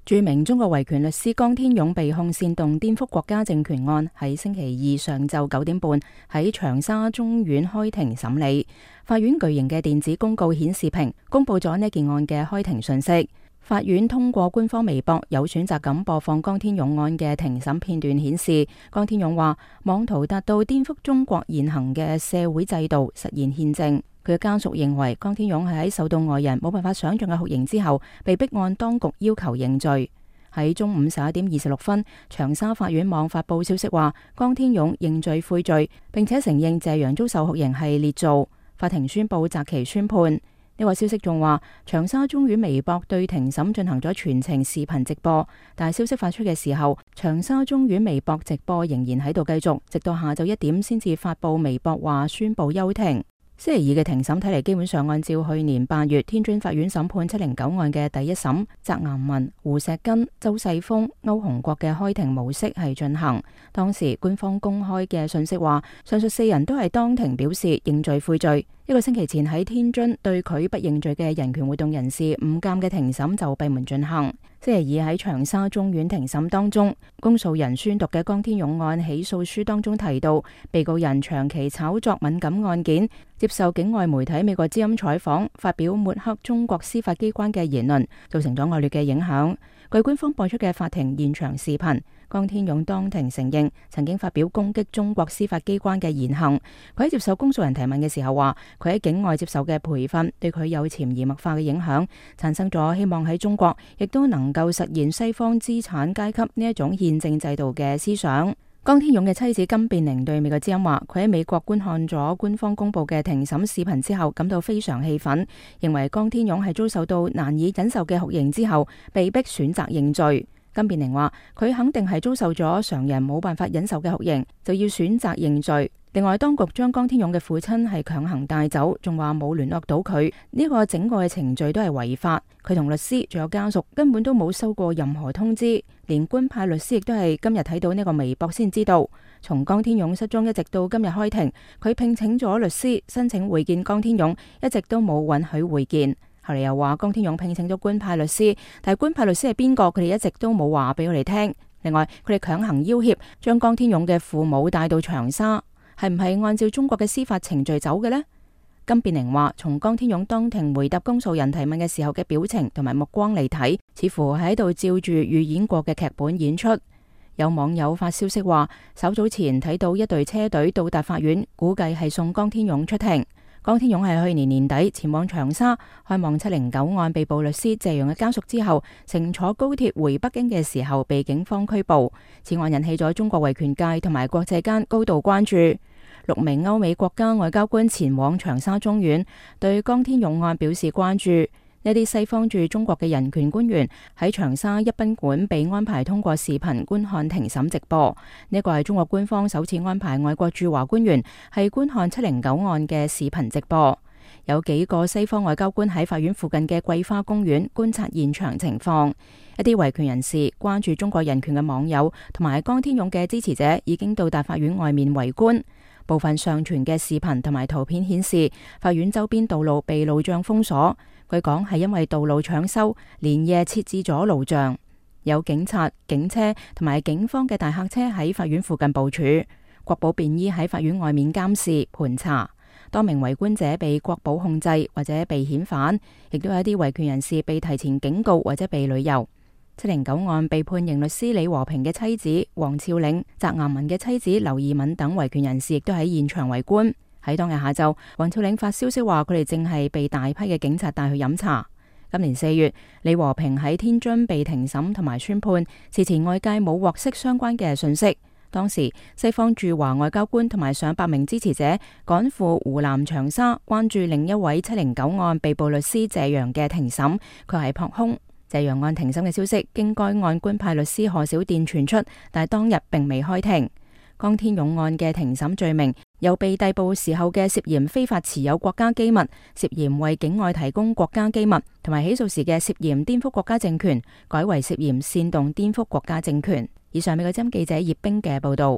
著名中國維權律師江天勇被控煽動顛覆國家政權案，喺星期二上晝9點半喺長沙中院開庭審理。法院巨型嘅電子公告顯示屏公布咗呢件案嘅開庭訊息。法院通過官方微博有選擇咁播放江天勇案嘅庭審片段，顯示江天勇話妄圖達到顛覆中國現行嘅社會制度，實現憲政。佢嘅家屬認為江天勇係喺受到外人冇辦法想象嘅酷刑之後，被迫按當局要求認罪。喺中午11點26分，長沙法院網發布消息話，江天勇認罪悔罪，並且承認謝陽遭受酷刑係捏造。法庭宣布擇期宣判。呢個消息仲話，長沙中院微博對庭審進行咗全程視頻直播，但係消息發出嘅時候，長沙中院微博直播仍然喺度繼續，直到下晝1點先至發布微博話宣布休庭。星期二嘅庭審睇嚟基本上按照去年8月天津法院審判709案嘅第一審翟岩民、胡錫根、周世峰、歐洪國嘅開庭模式係進行。當時官方公開嘅信息話，上述4人都係當庭表示認罪悔罪。1個星期前喺天津對佢不認罪嘅人權活動人士吳鑑嘅庭審就閉門進行。星期二喺長沙中院庭審當中，公訴人宣讀嘅江天勇案起訴書當中提到，被告人長期炒作敏感案件，接受境外媒體美國之音採訪，發表抹黑中國司法機關嘅言論，造成咗惡劣嘅影響。據官方播出嘅法庭現場視頻，江天勇當庭承認曾經發表攻擊中國司法機關嘅言行。佢喺接受公訴人提問嘅時候話，佢喺境外接受嘅培訓對佢有潛移默化嘅影響，產生咗希望喺中國亦都能夠實現西方資產階級呢一種憲政制度嘅思想。江天勇嘅妻子金變玲對美國之音話，佢喺美國觀看咗官方公布嘅庭審視頻之後，感到非常氣憤，認為江天勇係遭受到難以忍受嘅酷刑之後，被迫選擇認罪。金變玲話，佢肯定係遭受咗常人冇辦法忍受嘅酷刑，就要選擇認罪。另外，當局將江天勇嘅父親係強行帶走，仲話冇聯絡到佢，呢個整個嘅程序都係違法。佢同律師仲有家屬根本都冇收過任何通知，連官派律師亦都係今日睇到呢個微博先知道。從江天勇失蹤一直到今日開庭，佢聘請咗律師申請會見江天勇，一直都冇允許會見。後嚟又話江天勇聘請咗官派律師，但係官派律師係邊個，佢哋一直都冇話俾我哋聽。另外，佢哋強行要挾將江天勇嘅父母帶到長沙，係唔係按照中國嘅司法程序走嘅呢？金變玲話，從江天勇當庭回答公訴人提問嘅時候嘅表情同埋目光嚟睇，似乎係喺度照住預演過嘅劇本演出。有網友發消息話，稍早前睇到一隊車隊到達法院，估計係送江天勇出庭。江天勇係去年年底前往長沙開望709案被捕律師謝陽嘅家屬之後，乘坐高鐵回北京嘅時候被警方拘捕。此案引起咗中國維權界同埋國際間高度關注。6名歐美國家外交官前往長沙中院，對江天勇案表示關注。呢啲西方駐中國嘅人權官員喺長沙一賓館被安排通過視頻觀看庭審直播。呢個係中國官方首次安排外國駐華官員係觀看709案嘅視頻直播。有幾個西方外交官喺法院附近嘅桂花公園觀察現場情況。一啲維權人士、關注中國人權嘅網友同埋江天勇嘅支持者已經到達法院外面圍觀。部分上傳嘅視頻同埋圖片顯示，法院周邊道路被路障封鎖。據講係因為道路搶修，連夜設置咗路障。有警察、警車同埋警方嘅大客車喺法院附近部署，國保便衣喺法院外面監視盤查。多名圍觀者被國保控制或者被遣返，亦都有一啲維權人士被提前警告或者被旅遊。709案被判刑律師李和平嘅妻子黃峭嶺、翟岩民嘅妻子劉義敏等維權人士亦都喺現場圍觀。喺當日下晝，黃峭嶺發消息話佢哋正係被大批嘅警察帶去飲茶。今年4月，李和平喺天津被庭審同埋宣判，事前外界冇獲悉相關嘅信息。當時西方駐華外交官同埋上百名支持者趕赴湖南長沙，關注另一位709案被捕律師謝陽嘅庭審，佢係撲空。謝陽案庭審嘅消息經該案官派律師賀小電傳出，但係當日並未開庭。江天勇案嘅庭審罪名由被逮捕時候嘅涉嫌非法持有國家機密、涉嫌為境外提供國家機密，同埋起訴時嘅涉嫌顛覆國家政權，改為涉嫌煽動顛覆國家政權。以上美國之音記者葉冰嘅報道。